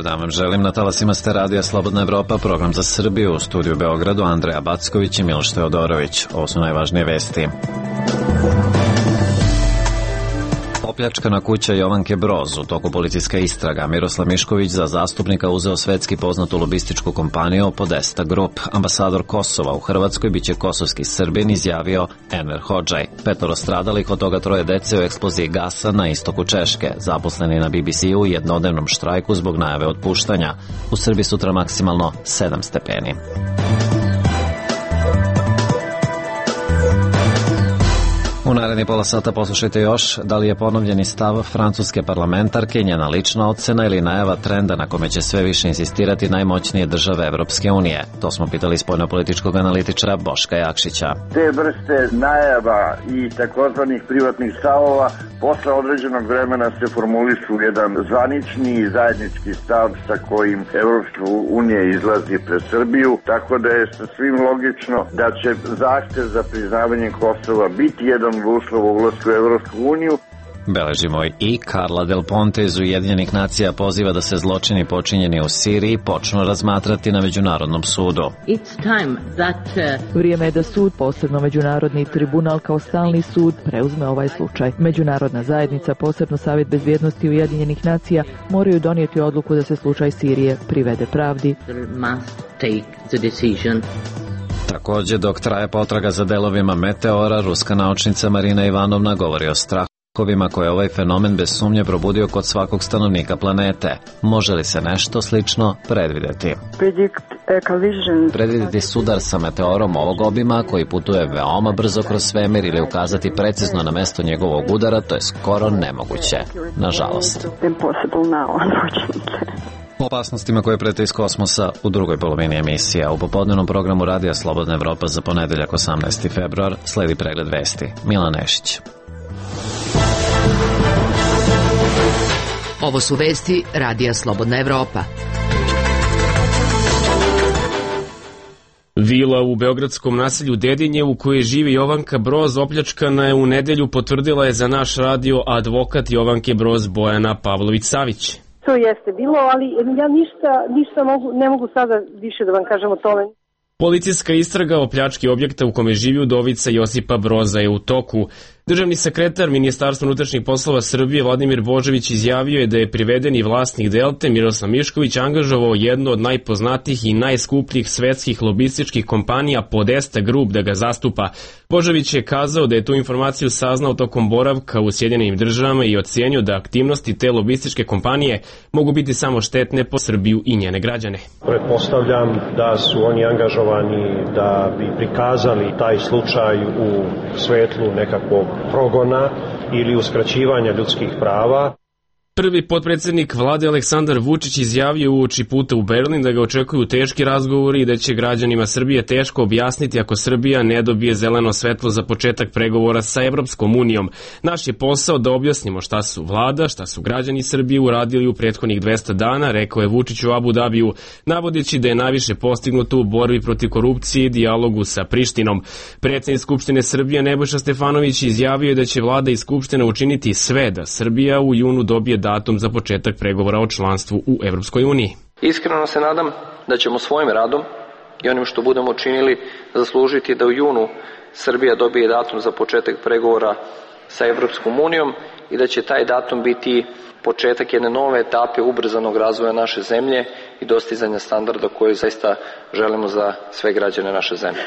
dan vam želim. Na talasima ste radija Slobodna Evropa, program za Srbiju. U studiju Beogradu Andreja Backović i Miloš Teodorović. Ovo su najvažnije vesti. Opljačkana kuća Jovanke Broz. U toku policijska istraga. Miroslav Mišković za zastupnika uzeo svetski poznatu lobističku kompaniju Podesta Group. Ambasador Kosova u Hrvatskoj biće kosovski Srbin, izjavio Enver Hodžaj. 5 stradalih, od toga 3 dece u eksploziji gasa na istoku Češke. Zaposleni na BBC-u u jednodnevnom štrajku zbog najave otpuštanja. U Srbiji sutra maksimalno 7 stepeni. U naredni pola sata poslušajte još da li je ponovljeni stav francuske parlamentarke, njena lična ocena ili najava trenda na kome će sve više insistirati najmoćnije države Evropske unije. To smo pitali spoljnopolitičkog analitičara Boška Jakšića. Te vrste najava i takozvanih privatnih stavova posle određenog vremena se formulišu jedan zvanični i zajednički stav sa kojim Evropska unija izlazi pred Srbiju, tako da je sasvim logično da će zahtev za priznavanje Kosova biti jedan uslov u ulasku u Evropsku uniju. Beležimo i Carla Del Ponte iz Ujedinjenih nacija poziva da se zločini počinjeni u Siriji počnu razmatrati na Međunarodnom sudu. Vrijeme je da sud, posebno Međunarodni tribunal kao stalni sud, preuzme ovaj slučaj. Međunarodna zajednica, posebno Savjet bezbjednosti Ujedinjenih nacija, moraju donijeti odluku da se slučaj Sirije privede pravdi. Takođe, dok traje potraga za delovima meteora, ruska naučnica Marina Ivanovna govori o strahovima koje ovaj fenomen bez sumnje probudio kod svakog stanovnika planete. Može li se nešto slično predvideti? Predvideti sudar sa meteorom ovog obima koji putuje veoma brzo kroz svemir ili ukazati precizno na mesto njegovog udara, to je skoro nemoguće, nažalost. O opasnostima koje prete iz kosmosa u drugoj polovini emisija. U popodnevnom programu Radija Slobodna Evropa za ponedeljak 18. februar sledi pregled vesti. Milan Nešić. Ovo su vesti Radija Slobodna Evropa. Vila u beogradskom naselju Dedinje u kojoj živi Jovanka Broz opljačkana je u nedelju, potvrdila je za naš radio advokat Jovanke Broz Bojana Pavlović-Savić. To jeste bilo, ali ja ništa ne mogu sada više da vam kažem o tome. Policijska istraga o pljački objekta u kome živi udovica Josipa Broza je u toku. Državni sekretar Ministarstva unutrašnjih poslova Srbije Vladimir Božović izjavio je da je privedeni vlasnik Delte Miroslav Mišković angažovao jednu od najpoznatijih i najskupljih svetskih lobističkih kompanija Podesta Group da ga zastupa. Božović je kazao da je tu informaciju saznao tokom boravka u Sjedinjenim državama i ocenio da aktivnosti te lobističke kompanije mogu biti samo štetne po Srbiju i njene građane. Pretpostavljam da su oni angažovani da bi prikazali taj slučaj u svetlu nekakvog progona ili uskraćivanja ljudskih prava. Prvi potpredsjednik vlade Aleksandar Vučić izjavio uoči puta u Berlin da ga očekuju teški razgovori i da će građanima Srbije teško objasniti ako Srbija ne dobije zeleno svetlo za početak pregovora sa Evropskom unijom. Naš je posao da objasnimo šta su vlada, šta su građani Srbije uradili u prethodnih 200 dana, rekao je Vučić u Abu Dabiju, navodeći da je najviše postignuto u borbi protiv korupcije i dijalogu sa Prištinom. Predsjednik Skupštine Srbije Nebojša Stefanović izjavio je da će vlada i Skupština učiniti sve da Srbija u junu dobije datum za početak pregovora o članstvu u Evropskoj uniji. Iskreno se nadam da ćemo svojim radom i onim što budemo činili zaslužiti da u junu Srbija dobije datum za početak pregovora sa Evropskom unijom i da će taj datum biti početak jedne nove etape ubrzanog razvoja naše zemlje i dostizanja standarda koje zaista želimo za sve građane naše zemlje.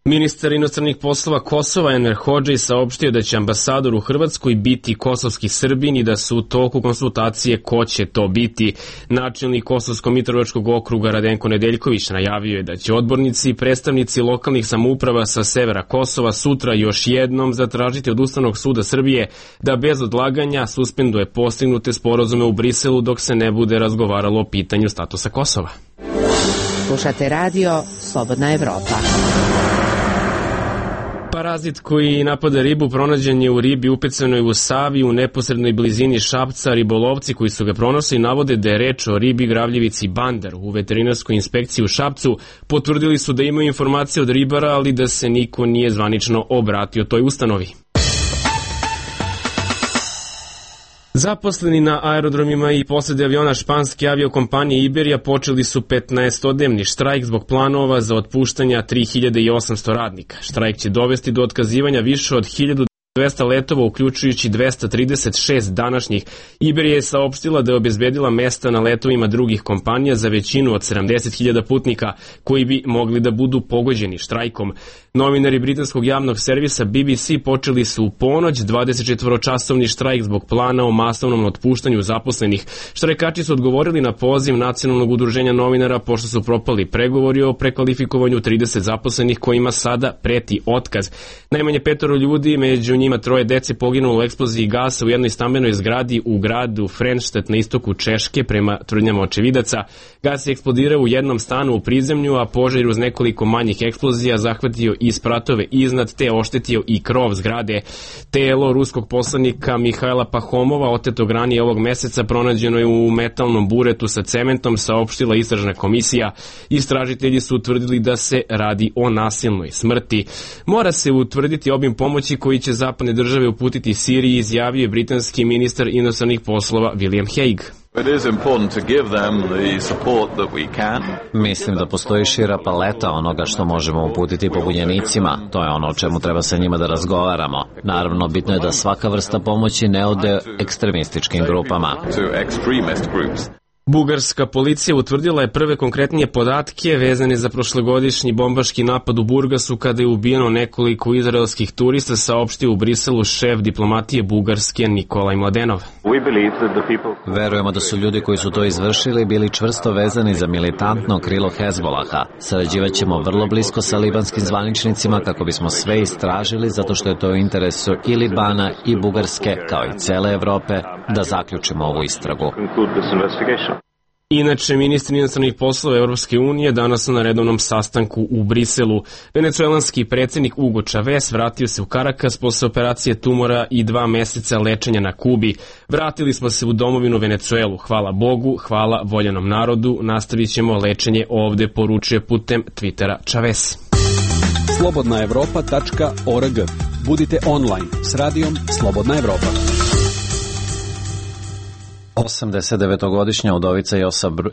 Ministar inostranih poslova Kosova Enver Hodžaj saopštio da će ambasador u Hrvatskoj biti kosovski Srbin i da su u toku konsultacije ko će to biti. Načelnik Kosovsko-Mitrovačkog okruga Radenko Nedeljković najavio je da će odbornici i predstavnici lokalnih samouprava sa severa Kosova sutra još jednom zatražiti od Ustavnog suda Srbije da bez odlaganja suspenduje postignute sporazume u Briselu dok se ne bude razgovaralo o pitanju statusa Kosova. Slušate radio Slobodna Evropa. Parazit koji napada ribu pronađen je u ribi upecanoj u Savi u neposrednoj blizini Šapca. Ribolovci koji su ga pronašli navode da je reč o ribi gravljivici bandar. U veterinarskoj inspekciji u Šapcu potvrdili su da imaju informacije od ribara, ali da se niko nije zvanično obratio toj ustanovi. Zaposleni na aerodromima i posade aviona španske aviokompanije Iberija počeli su 15-dnevni štrajk zbog planova za otpuštanja 3800 radnika. Štrajk će dovesti do otkazivanja više od 1200 letova, uključujući 236 današnjih. Iberija je saopštila da je obezbedila mesta na letovima drugih kompanija za većinu od 70.000 putnika koji bi mogli da budu pogođeni štrajkom. Novinari britanskog javnog servisa BBC počeli su u ponoć 24-časovni štrajk zbog plana o masovnom otpuštanju zaposlenih. Štrajkači su odgovorili na poziv Nacionalnog udruženja novinara pošto su propali pregovori o prekvalifikovanju 30 zaposlenih kojima sada preti otkaz. Najmanje 5 ljudi, među njima 3 dece, poginulo u eksploziji gasa u jednoj stambenoj zgradi u gradu Frenštet na istoku Češke, prema tvrdnjama očevidaca. Gas je eksplodirao u jednom stanu u prizemlju, a požar uz nekoliko manjih eksplozija zahvatio i spratove iznad te oštetio i krov zgrade. Telo ruskog poslanika Mihajla Pahomova, otetog ranije ovog meseca, pronađeno je u metalnom buretu sa cementom, saopštila istražna komisija. Istražitelji su utvrdili da se radi o nasilnoj smrti. Mora se utvrditi obim pomoći koji će zapadne države uputiti Siriji, izjavio je britanski ministar inostranih poslova William Hague. Mislim da postoji šira paleta onoga što možemo uputiti pobunjenicima. To je ono o čemu treba sa njima da razgovaramo. Naravno, bitno je da svaka vrsta pomoći ne ode ekstremističkim grupama. Bugarska policija utvrdila je prve konkretnije podatke vezane za prošlogodišnji bombaški napad u Burgasu kada je ubijeno nekoliko izraelskih turista, saopštio u Briselu šef diplomatije Bugarske Nikolaj Mladenov. Verujemo da su ljudi koji su to izvršili bili čvrsto vezani za militantno krilo Hezbolaha. Sarađivaćemo vrlo blisko sa libanskim zvaničnicima kako bismo sve istražili, zato što je to u interesu i Libana i Bugarske, kao i cele Evrope, da zaključimo ovu istragu. Inače, ministri inostranih poslova Evropske unije danas su na redovnom sastanku u Briselu. Venecuelanski predsjednik Hugo Chavez vratio se u Karakas posle operacije tumora i 2 meseca lečenja na Kubi. Vratili smo se u domovinu Venecuelu. Hvala Bogu, hvala voljenom narodu. Nastavit ćemo lečenje ovde, poručuje putem Twittera Chavez. Slobodnaevropa.org. Budite online s radijom Slobodna Evropa. 89-godišnja udovica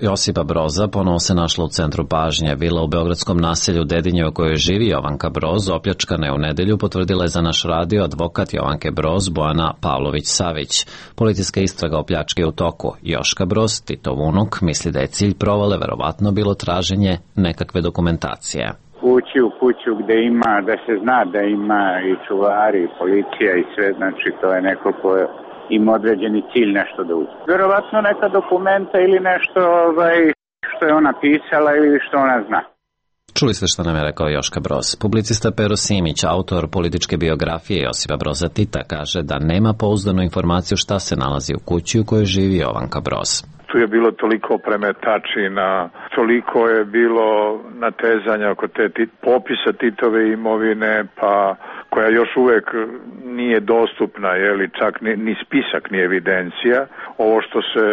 Josipa Broza ponovo se našla u centru pažnje. Vila u beogradskom naselju Dedinje u kojoj živi Jovanka Broz opljačkana je u nedelju, potvrdila je za naš radio advokat Jovanke Broz Bojana Pavlović-Savić. Policijska istraga o pljački je u toku. Joška Broz, Titov unuk, misli da je cilj provale verovatno bilo traženje nekakve dokumentacije. Ući u kuću gde ima, da se zna da ima i čuvari, i policija i sve, znači to je neko koje ima određeni cilj nešto da uđe. Verovatno neka dokumenta ili nešto što je ona pisala ili što ona zna. Čuli ste što nam je rekao Joška Broz. Publicista Pero Simić, autor političke biografije Josipa Broza Tita, kaže da nema pouzdanu informaciju šta se nalazi u kući u kojoj živi Jovanka Broz. Tu je bilo toliko premetačina, toliko je bilo natezanja oko te popisa Titove imovine, pa koja još uvek nije dostupna, čak ni spisak, ni evidencija. Ovo što se,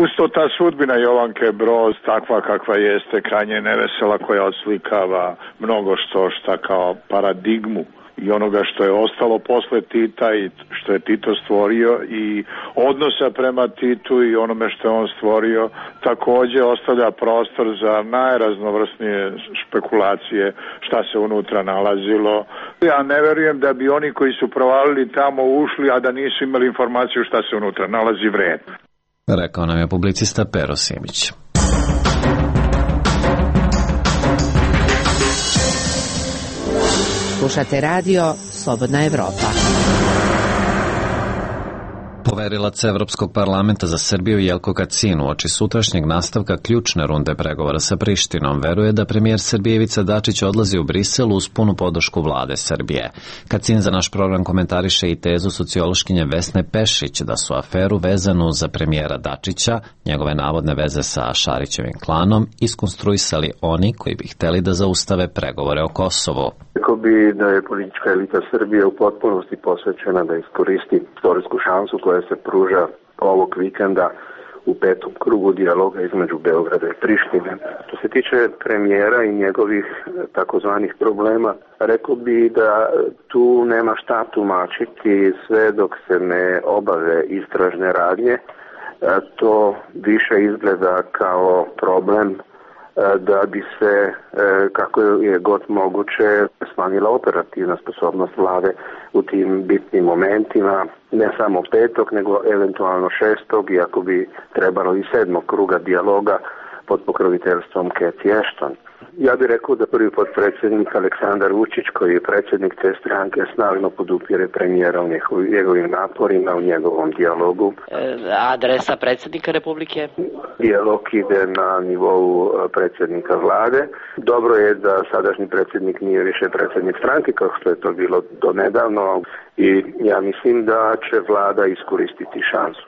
usto ta sudbina Jovanke Broz, takva kakva jeste, krajnje nevesela, koja odslikava mnogo šta kao paradigmu i onoga što je ostalo posle Tita i što je Tito stvorio i odnosa prema Titu i onome što je on stvorio, takođe ostavlja prostor za najraznovrsnije špekulacije šta se unutra nalazilo. Ja ne verujem da bi oni koji su provalili tamo ušli, a da nisu imali informaciju šta se unutra nalazi vredno. Rekao nam je publicista Pero Simić. Slušate radio Slobodna Evropa. Poverilac Evropskog parlamenta za Srbiju Jelko Kacin uoči sutrašnjeg nastavka ključne runde pregovora sa Prištinom veruje da premijer Srbije Ivica Dačić odlazi u Brisel uz punu podršku vlade Srbije. Kacin za naš program komentariše i tezu sociološkinje Vesne Pešić da su aferu vezanu za premijera Dačića, njegove navodne veze sa Šarićevim klanom, iskonstruisali oni koji bi hteli da zaustave pregovore o Kosovu. Rekao bi da je politička elita Srbije u potpunosti posvećena da iskoristi istorijsku šansu koja se pruža ovog vikenda u 5. krugu dijaloga između Beograda i Prištine. Što se tiče premijera i njegovih takozvanih problema, rekao bi da tu nema šta tumačiti sve dok se ne obave istražne radnje. To više izgleda kao problem da bi se, kako je god moguće, smanjila operativna sposobnost vlade u tim bitnim momentima, ne samo 5. nego eventualno 6. iako bi trebalo i 7. kruga dijaloga pod pokroviteljstvom Cathy Ashton. Ja bih rekao da prvi potpredsjednik Aleksandar Vučić, koji je predsjednik te stranke, snažno podupire premijera u njegovim naporima, u njegovom dijalogu. Adresa predsjednika Republike? Dijalog ide na nivou predsjednika vlade. Dobro je da sadašnji predsjednik nije više predsjednik stranke, kao što je to bilo do nedavno, i ja mislim da će vlada iskoristiti šansu.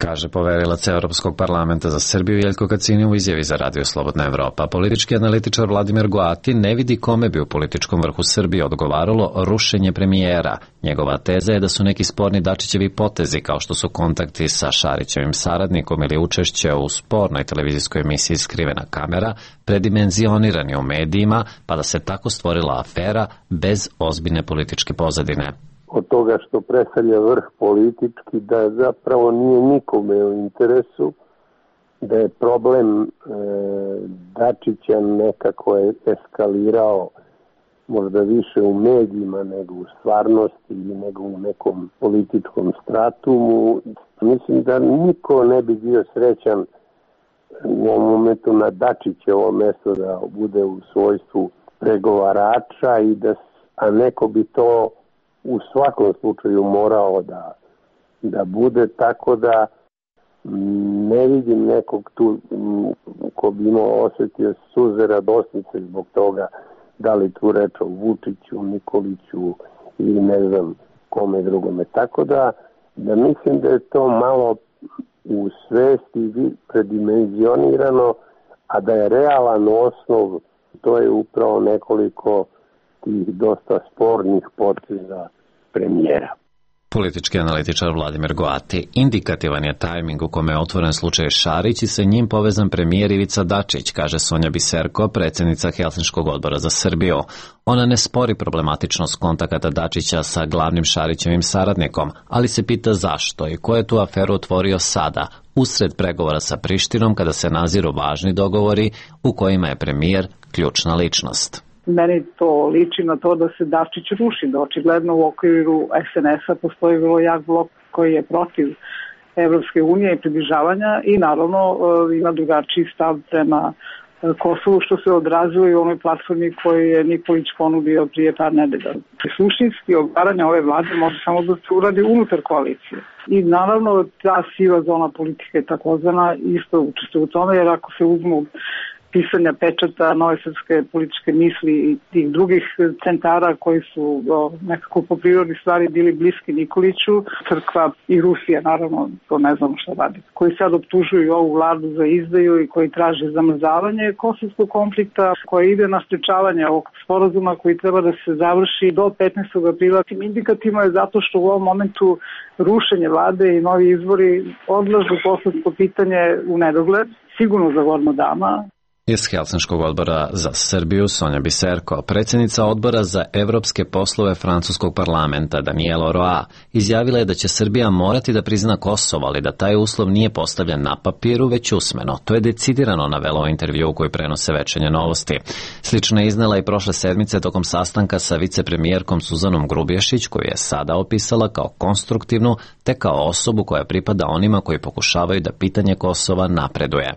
Kaže poverilac Europskog parlamenta za Srbiju Jeljko Kacini u izjavi za Radio Slobodna Evropa. Politički analitičar Vladimir Goati ne vidi kome bi u političkom vrhu Srbije odgovaralo rušenje premijera. Njegova teza je da su neki sporni Dačićevi potezi, kao što su kontakti sa Šarićevim saradnikom ili učešće u spornoj televizijskoj emisiji Skrivena kamera, predimenzionirani u medijima, pa da se tako stvorila afera bez ozbiljne političke pozadine. Od toga što predstavlja vrh politički, da zapravo nije nikome u interesu, da je problem Dačića nekako je eskalirao možda više u medijima nego u stvarnosti ili nego u nekom političkom stratumu. Mislim da niko ne bi bio srećan u ovom momentu na Dačićevo mesto da bude u svojstvu pregovarača, a neko bi to u svakom slučaju morao da bude, tako da ne vidim nekog tu ko bi imao osjetio suze radosnice zbog toga, da li tu reč o Vučiću, Nikoliću ili ne znam kome drugome. Tako da mislim da je to malo u svesti predimenzionirano, a da je realan osnov, to je upravo nekoliko tih dosta spornih poteza premijera. Politički analitičar Vladimir Goati. Indikativan je tajming u kome je otvoren slučaj Šarić i sa njim povezan premijer Ivica Dačić, kaže Sonja Biserko, predsjednica Helsinškog odbora za Srbiju. Ona ne spori problematičnost kontakata Dačića sa glavnim Šarićevim saradnikom, ali se pita zašto i ko je tu aferu otvorio sada, usred pregovora sa Prištinom, kada se naziru važni dogovori u kojima je premijer ključna ličnost. Meni to liči na to da se Dačić ruši, da očigledno u okviru SNS-a postoji vrlo jak blok koji je protiv Evropske unije i približavanja i naravno ima drugačiji stav prema Kosovu, što se odrazilo i u onoj platformi koju je Nikolić ponudio prije par nedelja. Suštinski odgovaranje ove vlade može samo da se uradi unutar koalicije. I naravno ta siva zona politike takozvana isto učestvuje u tome, jer ako se uzmu pisanja pečata Nove srpske političke misli i tih drugih centara koji su nekako po prirodi stvari bili bliski Nikoliću, crkva i Rusija, naravno, to ne znamo šta radi, koji sad optužuju ovu vladu za izdaju i koji traže zamrzavanje kosovskog konflikta, koji ide na sprečavanje ovog sporazuma koji treba da se završi do 15. aprila. Indikativno je zato što u ovom momentu rušenje vlade i novi izbori odlažu kosovsko pitanje u nedogled, sigurno za godinu dana. Iz Helsinškog odbora za Srbiju Sonja Biserko, predsjednica odbora za evropske poslove francuskog parlamenta Daniela Roa, izjavila je da će Srbija morati da prizna Kosovo, ali da taj uslov nije postavljen na papiru, već usmeno. To je decidirano navelo u intervju koji prenose Večernje novosti. Slično je iznela i prošle sedmice tokom sastanka sa vicepremijerkom Suzanom Grubješić, koju je sada opisala kao konstruktivnu, te kao osobu koja pripada onima koji pokušavaju da pitanje Kosova napreduje.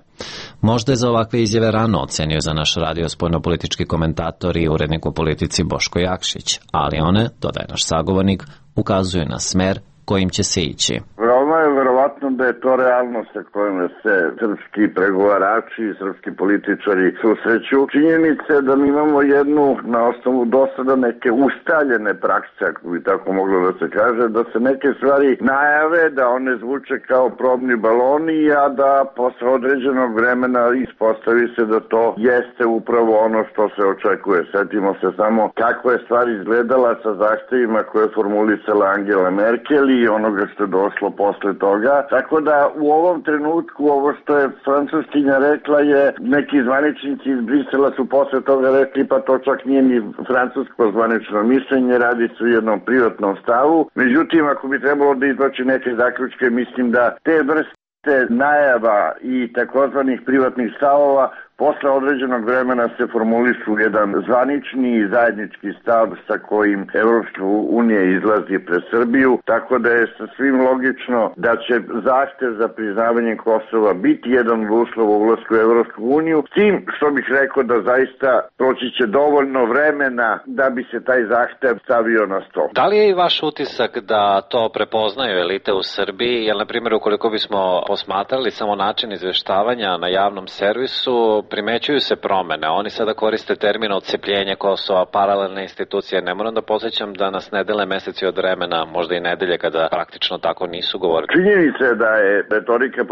Možda je za ovakve izjave rano, ocenio za naš radio spoljnopolitički komentator i urednik u politici Boško Jakšić, ali one, dodaje naš sagovornik, ukazuju na smer kojim će se ići. Veoma je verovatno da je to realnost sa kojom se srpski pregovarači i srpski političari susreću. Činjenica je da mi imamo jednu, na osnovu dosada neke ustaljene prakse, ako bi tako moglo da se kaže, da se neke stvari najave, da one zvuče kao probni baloni, a da posle određenog vremena ispostavi se da to jeste upravo ono što se očekuje. Setimo se samo kako je stvar izgledala sa zahtevima koje je formulisala Angela Merkel i onoga što je došlo posle toga. toga, tako da u ovom trenutku ovo što je Francuskinja rekla je, neki zvaničnici iz Brisela su posle toga rekli pa to čak nije ni francusko zvanično mišljenje, radi se o jednom privatnom stavu. Međutim, ako bi trebalo da izvlači neke zaključke, mislim da te vrste najava i takozvanih privatnih stavova posle određenog vremena se formulišu jedan zvanični i zajednički stav sa kojim Evropska unija izlazi pred Srbiju, tako da je sasvim logično da će zahtev za priznavanje Kosova biti jedan od uslova ulasku u Evropsku uniju, s tim što bih rekao da zaista proći će dovoljno vremena da bi se taj zahtev stavio na stol. Da li je i vaš utisak da to prepoznaju elite u Srbiji, jer na primjer ukoliko bismo posmatrali samo način izveštavanja na javnom servisu, primećuju se promene. Oni sada koriste termin odcepljenje Kosova, paralelne institucije. Ne moram da podsjećam da nas ne dele meseci od vremena, možda i nedelje kada praktično tako nisu govorili. Činjenica je da je retorika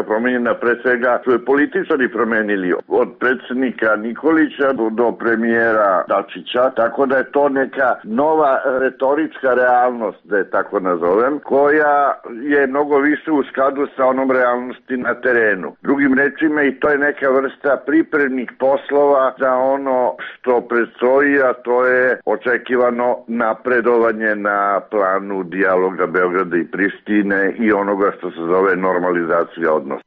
promenjena pre svega su je političari promenili od predsjednika Nikolića do premijera Dačića, tako da je to neka nova retorička realnost, da je tako nazovem, koja je mnogo više u skladu sa onom realnosti na terenu. Drugim rečima, i to je neka vrsta pripremnih poslova za ono što predstoji, a to je očekivano napredovanje na planu dijaloga Beograda i Prištine i onoga što se zove normalizacija odnosa.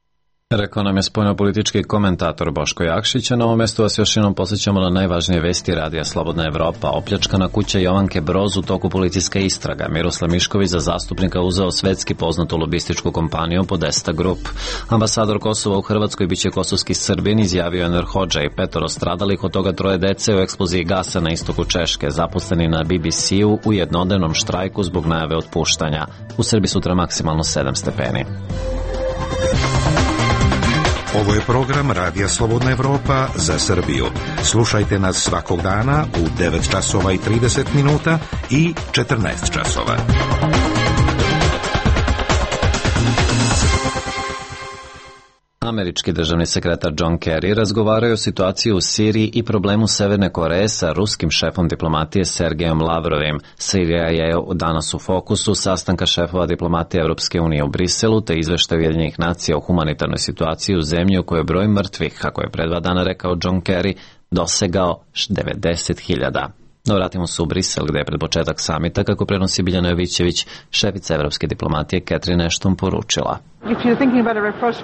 Rekao nam je spoljnopolitički komentator Boško Jakšić, a na ovom mestu vas još jednom posjećamo na najvažnije vesti radija Slobodna Evropa. Opljačkana kuća Jovanke Broz u toku policijska istraga. Miroslav Mišković za zastupnika uzeo svetski poznatu lobističku kompaniju Podesta Group. Ambasador Kosova u Hrvatskoj biće kosovski Srbin, izjavio Enver Hodža, i 5 stradalih, od toga 3 dece u eksploziji gasa na istoku Češke, zaposleni na BBC-u u jednodnevnom štrajku zbog najave otpuštanja. U Srbiji sutra maksimalno 7 stepeni. Ovo je program Radija Slobodna Evropa za Srbiju. Slušajte nas svakog dana u 9 časova i 30 minuta i 14 časova. Američki državni sekretar John Kerry razgovarao o situaciji u Siriji i problemu Severne Koreje sa ruskim šefom diplomatije Sergejom Lavrovim. Sirija je danas u fokusu sastanka šefova diplomatije Evropske unije u Briselu, te izveštaj Ujedinjenih nacija o humanitarnoj situaciji u zemlji u kojoj je broj mrtvih, kako je pred 2 dana rekao John Kerry, dosegao 90.000. No, vratimo se u Brisel, gde je pred početak samita, kako prenosi Biljana Jovićević, šefica evropske diplomatije Catherine Ashton poručila.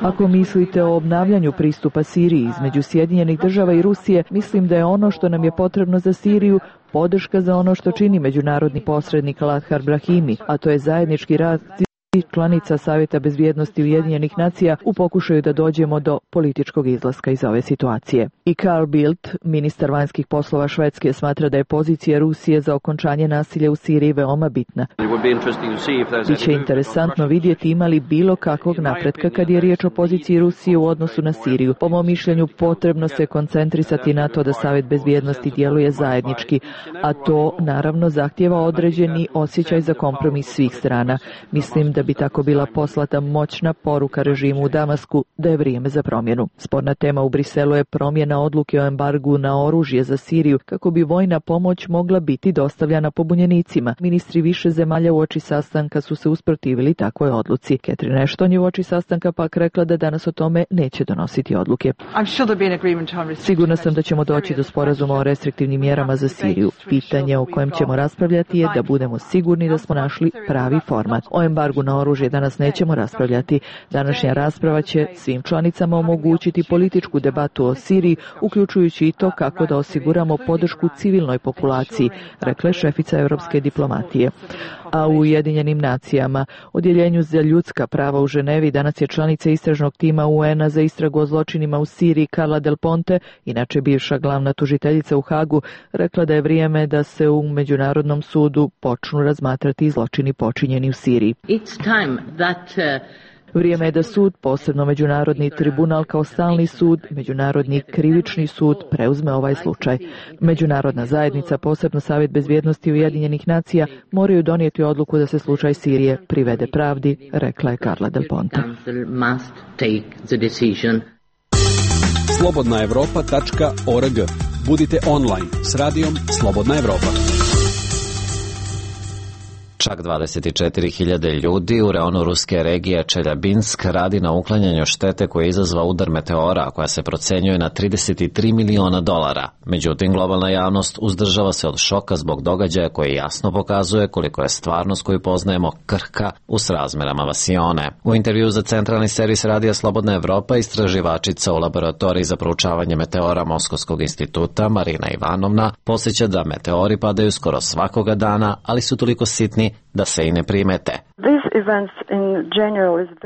Ako mislite o obnavljanju pristupa Siriji između Sjedinjenih država i Rusije, mislim da je ono što nam je potrebno za Siriju podrška za ono što čini međunarodni posrednik Lathar Brahimi, a to je zajednički rad članica Savjeta bezbjednosti Ujedinjenih nacija u pokušaju da dođemo do političkog izlaska iz ove situacije. I Carl Bildt, ministar vanjskih poslova Švedske, smatra da je pozicija Rusije za okončanje nasilja u Siriji veoma bitna. Biće interesantno vidjeti ima li bilo kakvog napretka kad je riječ o poziciji Rusije u odnosu na Siriju. Po mom mišljenju potrebno se koncentrisati na to da Savjet bezbjednosti djeluje zajednički, a to naravno zahtjeva određeni osjećaj za kompromis svih strana. Mislim da bi tako bila poslata moćna poruka režimu u Damasku da je vrijeme za promjenu. Sporna tema u Briselu je promjena odluke o embargu na oružje za Siriju kako bi vojna pomoć mogla biti dostavljana pobunjenicima. Ministri više zemalja uoči sastanka su se usprotivili takvoj odluci. Catherine Ashton je uoči sastanka pak rekla da danas o tome neće donositi odluke. Sigurna sam da ćemo doći do sporazuma o restriktivnim mjerama za Siriju. Pitanje o kojem ćemo raspravljati je da budemo sigurni da smo našli pravi format. O embargu na oružje danas nećemo raspravljati. Današnja rasprava će svim članicama omogućiti političku debatu o Siriji, uključujući i to kako da osiguramo podršku civilnoj populaciji, rekla je šefica evropske diplomatije. A u Ujedinjenim nacijama, Odjeljenju za ljudska prava u Ženevi, danas je članica istražnog tima UN-a za istragu o zločinima u Siriji Carla Del Ponte, inače bivša glavna tužiteljica u Hagu, rekla da je vrijeme da se u Međunarodnom sudu počnu razmatrati zločini počinjeni u Siriji. Vrijeme je da sud, posebno Međunarodni tribunal kao stalni sud, Međunarodni krivični sud, preuzme ovaj slučaj. Međunarodna zajednica, posebno Savjet bezbjednosti Ujedinjenih nacija, moraju donijeti odluku da se slučaj Sirije privede pravdi, rekla je Carla Del Ponte. Slobodnaevropa.org. Budite online s radijom Slobodna Evropa. Čak 24.000 ljudi u reonu ruske regije Čeljabinsk radi na uklanjanju štete koje je izazvao udar meteora, koja se procenjuje na $33 miliona. Međutim, globalna javnost uzdržava se od šoka zbog događaja koji jasno pokazuje koliko je stvarnost koju poznajemo krhka u srazmerama vasione. U intervju za centralni servis Radija Slobodna Evropa istraživačica u laboratoriji za proučavanje meteora Moskovskog instituta Marina Ivanovna podsjeća da meteori padaju skoro svakoga dana, ali su toliko sitni da se i ne primete.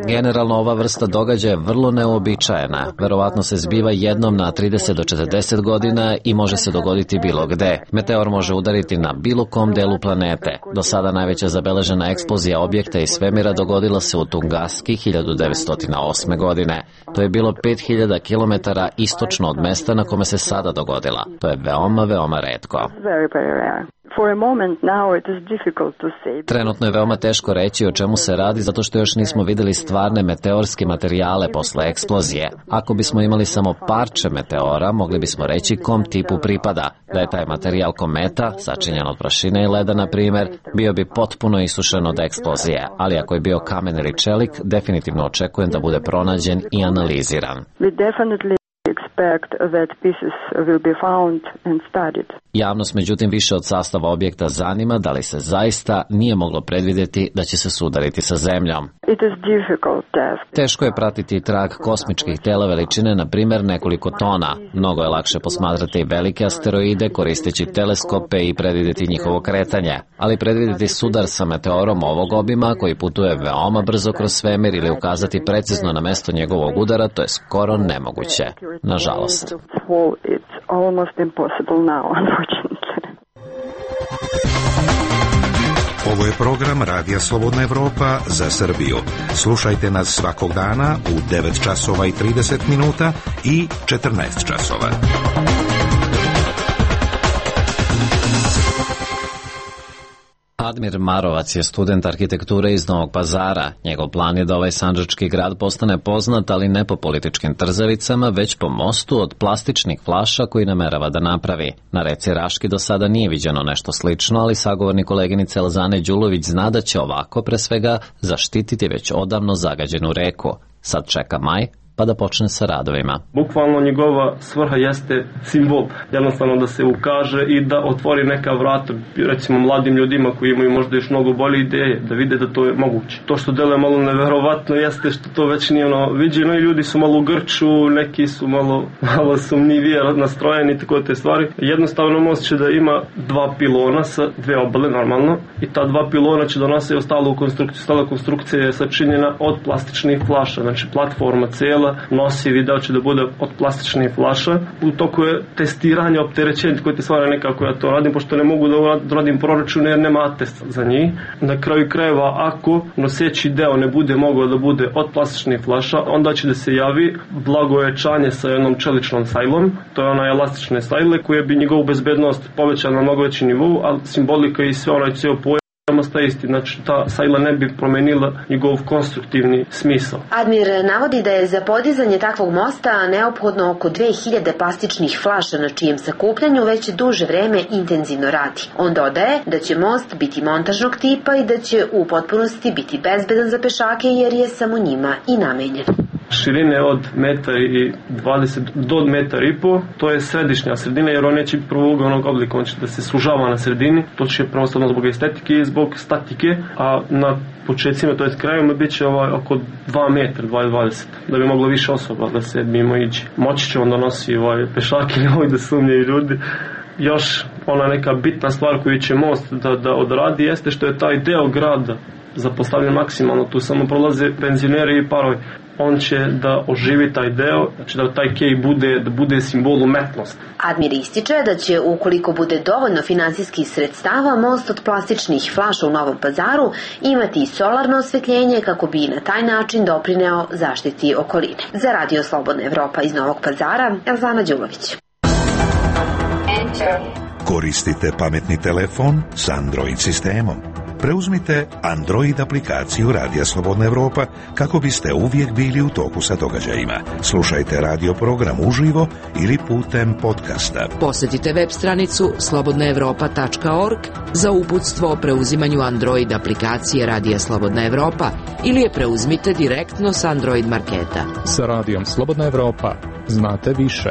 Generalno ova vrsta događaja je vrlo neuobičajena. Verovatno se zbiva jednom na 30 do 40 godina i može se dogoditi bilo gde. Meteor može udariti na bilo kom delu planete. Do sada najveća zabeležena eksplozija objekta iz svemira dogodila se u Tungaski 1908. godine. To je bilo 5000 km istočno od mesta na kome se sada dogodila. To je veoma, veoma retko. Trenutno je veoma teško reći o čemu se radi zato što još nismo videli stvarne meteorske materijale posle eksplozije. Ako bismo imali samo parče meteora, mogli bismo reći kom tipu pripada. Da je taj materijal kometa, sačinjen od prašine i leda na primjer, bio bi potpuno isušen od eksplozije, ali ako je bio kamen ili čelik, definitivno očekujem da bude pronađen i analiziran. Javnost međutim više od sastava objekta zanima da li se zaista nije moglo predvidjeti da će se sudariti sa zemljom. Teško je pratiti trag kosmičkih tela veličine, na primjer nekoliko tona. Mnogo je lakše posmatrati velike asteroide koristeći teleskope i predvidjeti njihovo kretanje, ali predvidjeti sudar sa meteorom ovog obima koji putuje veoma brzo kroz svemir ili ukazati precizno na mesto njegovog udara, to je skoro nemoguće. Nažalost. Ovo je program Radija Slobodna Evropa za Srbiju. Slušajte nas svakog dana u 9 časova i 30 minuta i 14 časova. Admir Marovac je student arhitekture iz Novog Pazara. Njegov plan je da ovaj sandžački grad postane poznat, ali ne po političkim trzavicama, već po mostu od plastičnih flaša koji namerava da napravi. Na reci Raški do sada nije viđeno nešto slično, ali sagovornik koleginice Elzane Đulović zna da će ovako pre svega zaštititi već odavno zagađenu reku. Sad čeka maj, pa da počne sa radovima. Bukvalno njegova svrha jeste simbol, jednostavno da se ukaže i da otvori neka vrata, recimo mladim ljudima koji imaju možda još mnogo bolje ideje, da vide da to je moguće. To što deluje malo neverovatno jeste što to već nije viđeno i ljudi su malo u grču, neki su malo sumnjivije nastrojeni, tako te stvari. Jednostavno most će da ima 2 pilona sa 2 obale normalno i ta 2 pilona će da nose ostalu konstrukciju. Stala konstrukcija je sačinjena od plastičnih flaša, znači platforma cijela nosi video će da bude od plastičnih flaša. U toku je testiranje opterećenja koje te stvari nekako ja to radim, pošto ne mogu da radim proračun jer nema atest za njih. Na kraju krajeva, ako noseći deo ne bude mogao da bude od plastičnih flaša, onda će da se javi blagojačanje sa jednom čeličnom sajlom. To je ona elastične sajle koje bi njegovu bezbednost povećala na mnogo veći nivou, ali simbolika i sve onaj cijel pojam ostaje isti, znači ta sajla ne bi promenila njegov konstruktivni smisao. Admir navodi da je za podizanje takvog mosta neophodno oko 2000 plastičnih flaša na čijem sakupljanju već duže vreme intenzivno radi. On dodaje da će most biti montažnog tipa i da će u potpunosti biti bezbedan za pešake jer je samo njima i namenjen. Širine od 1,20 m do 1,5 m, to je sredina jer on neće biti prvougaonog oblika, on će da se sužava na sredini, to će pravostavno zbog estetike i zbog statike, a na početcima, to je krajima, bit će oko 2 m, 2,20 m, da bi moglo više osoba da se mimo ići. Moći će on da nosi pešake, nemoj da sumnjaju ljudi. Još ona neka bitna stvar koju će most da odradi jeste što je taj deo grada zapostavljen maksimalno, tu samo prolaze penzioneri i parovi. On će da oživi taj deo, znači da taj kej bude simbol umetnosti. Admir ističe da će, ukoliko bude dovoljno finansijskih sredstava, most od plastičnih flaša u Novom Pazaru imati i solarno osvetljenje kako bi na taj način doprineo zaštiti okoline. Za Radio Slobodna Evropa iz Novog Pazara, Elzana Đulović. Koristite pametni telefon s Android sistemom. preuzmite Android aplikaciju Radija Slobodna Evropa kako biste uvijek bili u toku sa događajima. Slušajte radio program uživo ili putem podcasta. Posjetite web stranicu slobodnaevropa.org za uputstvo o preuzimanju Android aplikacije Radija Slobodna Evropa ili je preuzmite direktno s Android marketa. Sa Radijom Slobodna Evropa znate više.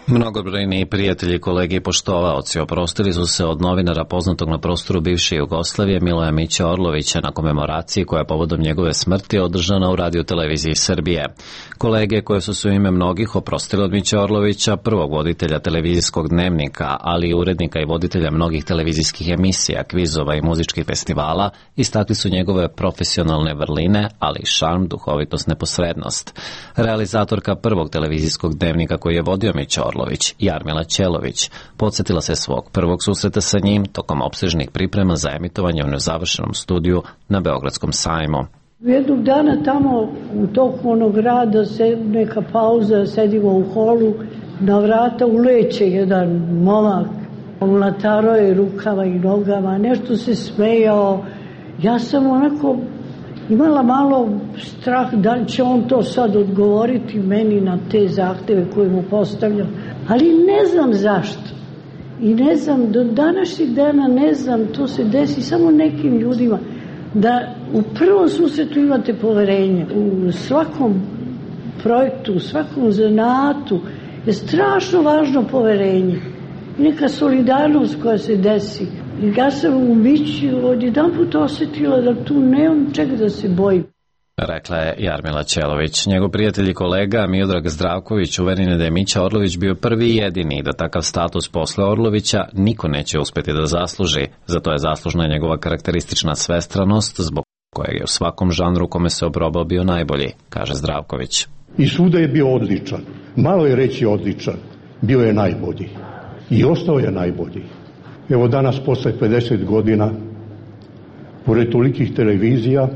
Mnogobrojni prijatelji, kolege i poštovaoci oprostili su se od novinara poznatog na prostoru bivše Jugoslavije Miloja Miće Orlovića na komemoraciji koja je povodom njegove smrti održana u radioteleviziji Srbije. Kolege koje su se u ime mnogih oprostili od Miće Orlovića, prvog voditelja televizijskog dnevnika, ali i urednika i voditelja mnogih televizijskih emisija, kvizova i muzičkih festivala, istakli su njegove profesionalne vrline, ali i šarm, duhovitost, neposrednost. Realizatorka prvog televizijskog dnevnika koji je vodio Miće Orlović, Jarmila Ćelović, podsjetila se svog prvog susreta sa njim tokom opsežnih priprema za emitovanje u nezavršenom studiju na Beogradskom sajmu. Jednog dana tamo u toku onog rada, neka pauza, sedimo u holu, na vrata uleće jedan momak, mlataro je rukama i nogama, nešto se smejao. Ja sam onako imala malo strah da li će on to sad odgovoriti meni na te zahteve koje mu postavljam, ali ne znam zašto. I ne znam, do današnjeg dana ne znam, to se desi samo nekim ljudima, da u prvom susretu imate poverenje. U svakom projektu, u svakom zanatu je strašno važno poverenje. I neka solidarnost koja se desi. I ja sam u Mići odjedan put osjetila da tu nemam čega da se bojim. Rekla je Jarmila Ćelović. Njegov prijatelj i kolega Miodrag Zdravković uveren je da je Mića Orlović bio prvi i jedini i da takav status posle Orlovića niko neće uspjeti da zasluži. Zato je zaslužna njegova karakteristična svestranost, zbog kojeg je u svakom žanru kome se obrobao bio najbolji, kaže Zdravković. I svuda je bio odličan. Malo je reći odličan. Bio je najbolji. I ostao je najbolji. Evo danas, posle 50 godina, pored tolikih televizija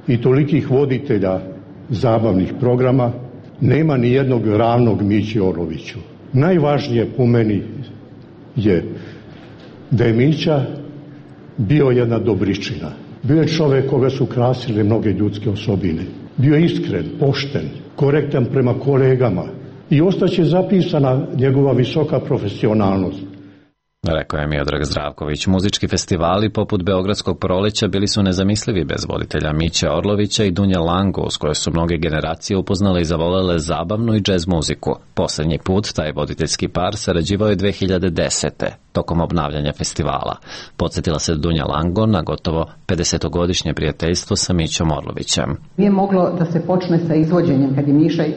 i tolikih voditelja zabavnih programa, nema ni jednog ravnog Mići Orloviću. Najvažnije po meni je da je Mića bio jedna dobričina. Bio je čovjek koga su krasile mnoge ljudske osobine. Bio je iskren, pošten, korektan prema kolegama i ostaće zapisana njegova visoka profesionalnost. Rekao je Miodrag Zdravković. Muzički festivali poput Beogradskog proleća bili su nezamislivi bez voditelja Miće Orlovića i Dunje Lango, s koje su mnoge generacije upoznale i zavolele zabavnu i džez muziku. Posljednji put taj voditeljski par sarađivao je 2010. tokom obnavljanja festivala. Podsjetila se Dunja Lango na gotovo 50-godišnje prijateljstvo sa Mićom Orlovićem. Nije moglo da se počne sa izvođenjem kad je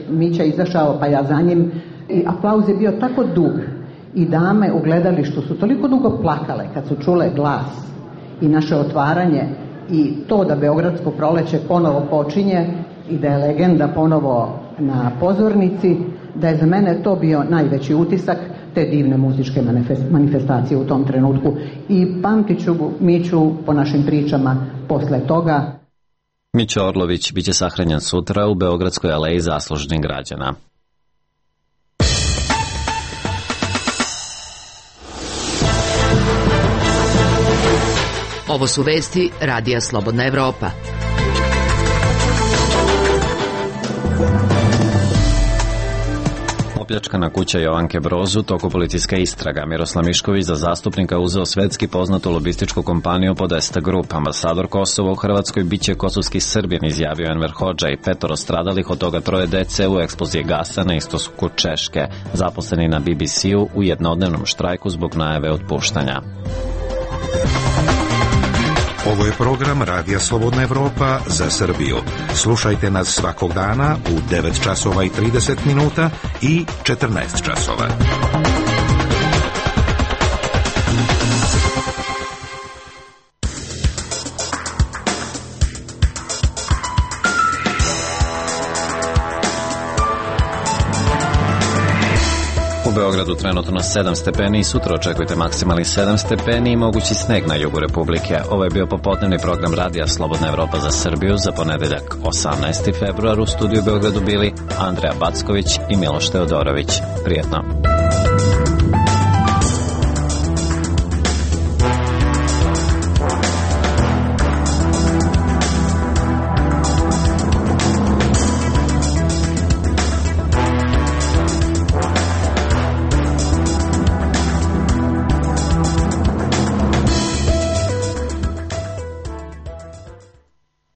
Mića izašao, pa ja za njim, i aplauz je bio tako dug. I dame u gledalištu su toliko dugo plakale kad su čule glas i naše otvaranje i to da Beogradsko proleće ponovo počinje i da je legenda ponovo na pozornici, da je za mene to bio najveći utisak te divne muzičke manifestacije u tom trenutku. I pamtit ću Miću po našim pričama posle toga. Mića Orlović biće sahranjen sutra u Beogradskoj aleji zaslužnih građana. Ovo su vesti Radija Slobodna Evropa. Opljačkana kuća Jovanke Broz u toku policijska istraga. Miroslav Mišković za zastupnika uzeo svetski poznatu lobističku kompaniju Podesta Group. Ambasador Kosova u Hrvatskoj biće kosovski Srbin, izjavio Enver Hodža, i 5 stradalih, od toga 3 dece u eksploziji gasa na istoku Češke. Zaposleni na BBC-u u jednodnevnom štrajku zbog najave otpuštanja. Ovo je program Radija Slobodna Evropa za Srbiju. Slušajte nas svakog dana u 9 časova i 30 minuta i 14 časova. U Beogradu trenutno 7 stepeni i sutra očekujte maksimalni 7 stepeni i mogući sneg na jugu Republike. Ovo je bio popodnevni program Radija Slobodna Evropa za Srbiju za ponedeljak 18. februar. U studiju u Beogradu bili Andreja Backović i Miloš Teodorović. Prijetno.